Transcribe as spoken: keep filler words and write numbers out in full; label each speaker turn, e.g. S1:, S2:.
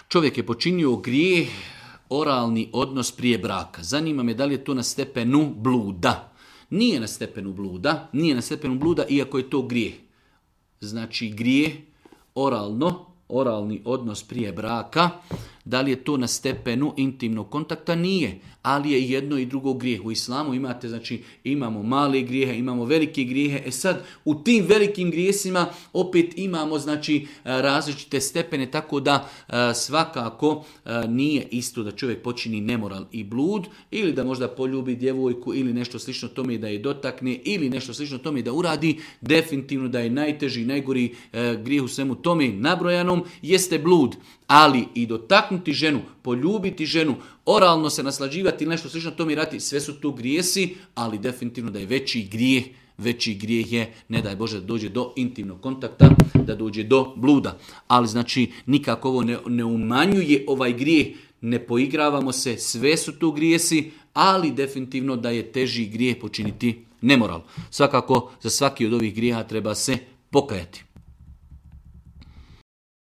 S1: Čovjek je počinio grijeh, oralni odnos prije braka. Zanima me da li je to na stepenu bluda. Nije na stepenu bluda, nije na stepenu bluda, iako je to grijeh. Znači grijeh, oralno, oralni odnos prije braka, da li je to na stepenu intimnog kontakta? Nije, ali je jedno i drugo grijeh. U islamu imate, znači, imamo male grijehe, imamo velike grijehe. E sad, u tim velikim grijesima opet imamo, znači, različite stepene, tako da svakako nije isto da čovjek počini nemoral i blud, ili da možda poljubi djevojku, ili nešto slično tome da je dotakne, ili nešto slično tome da uradi. Definitivno da je najteži, najgori grijeh u svemu tome nabrojanom jeste blud. Ali i dotaknuti ženu, poljubiti ženu, oralno se naslađivati ili nešto slično tome rati, sve su to grijesi, ali definitivno da je veći grijeh, veći grijeh je, ne daj Bože, da dođe do intimnog kontakta, da dođe do bluda. Ali znači nikako ovo ne, ne umanjuje ovaj grijeh, ne poigravamo se, sve su to grijesi, ali definitivno da je teži grijeh počiniti nemoral. Svakako za svaki od ovih grijeha treba se pokajati.